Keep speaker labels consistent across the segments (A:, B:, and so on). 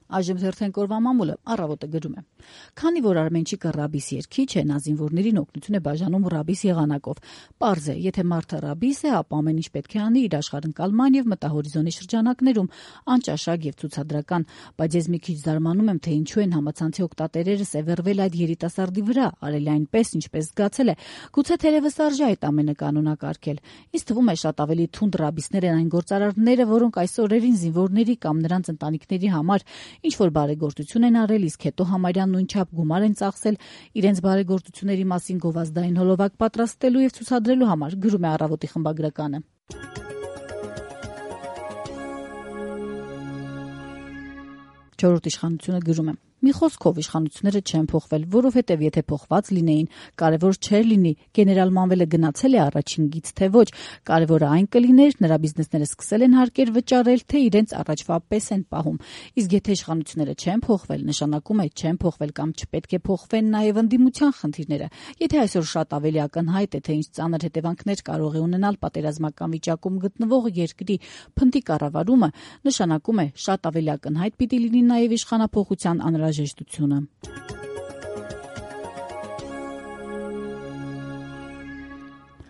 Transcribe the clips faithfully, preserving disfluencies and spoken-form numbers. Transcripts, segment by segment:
A: Այժմ հերթենք օրվա մամուլը Առավոտը գրում է. Քանի որ Արմենչիկը ռաբիս երգիչ է, նա զինվորներին օգնություն է բաժանում ռաբիս եղանակով։ Պարզ է, եթե մարդը ռաբիս է, ապա ամեն ինչ պետք է անի իր աշխարհընկալման եւ մտահորիզոնի շրջանակներում, անճաշակ եւ ցուցադրական, բայց ես մի քիչ զարմանում եմ, թե ինչու են համացանցի օգտատերերը սևեռվել այդ երիտասարդի վրա, արել այնպես, ինչպես զգացել է։ Գուցե թերևս արժե այդ ամենը կանոնակարգել։ Ինձ թվում է շատ ավելի թունդ ռաբիսներ են այն գործարարները, որոնք այս օրերին զինվորների կամ նրանց ընտանիքների համար ինչ որ բարեգործություն են արել, իսկ հետո համարյա նույնչափ գումար են ծախսել իրենց բարեգործությունների մասին գովազդային հոլովակ պատրաստելու եւ ցուցադրելու համար, գրում է Առավոտի խմբագրականը։ Չորրորդ իշխանությունը գրում է. Մի խոսքով իշխանությունները չեն փոխվել, որովհետև եթե փոխված լինեին, կարևոր չէր լինի գեներալ Մանվելը գնացել է առաջին գիծ, թե ոչ, կարևորը այն կլիներ, նրա բիզնեսները սկսել են հարկեր վճարել, թե իրենց առաջվա պես են պահում։ Իսկ եթե իշխանությունները չեն փոխվել, նշանակում է չեն փոխվել կամ չպետք է փոխվեն նաև ընդդիմության խնդիրները։ Եթե այսօր շատ ավելի ակնհայտ է, թե ինչ ծանր հետևանքներ կարող է ունենալ պատերազմական վիճակում գտնվող երկրի փնտի կառավարումը, նշանակում է շատ ավելի ակնհայտ պիտի լինի նաև իշխանափոխության անհրաժեշտությունը։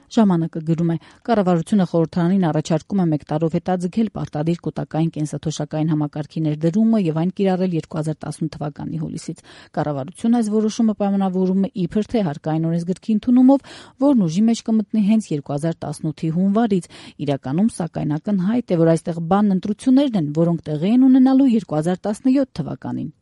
A: Ժամանակը գրում է. Կառավարությունը խորհրդարանին առաջարկում է մեկ տարով հետաձգել պարտադիր կൂട്ടակային կենսաթոշակային համակարգի ներդրումը եւ այն կիրառել երկու հազար տասնութ թվականի հուլիսից։ Կառավարությունը այս որոշումը պայմանավորում է իբր թե հարկային օրենսգրքի ընդունումով, որն ուժի մեջ կմտնի հենց երկու հազար տասնութի հունվարից։ Իրականում, սակայն, ակնհայտ է, որ այստեղ բանն ընտրություններն են, որոնք տեղի են ունենալու երկու հազար տասնյոթ թվականին։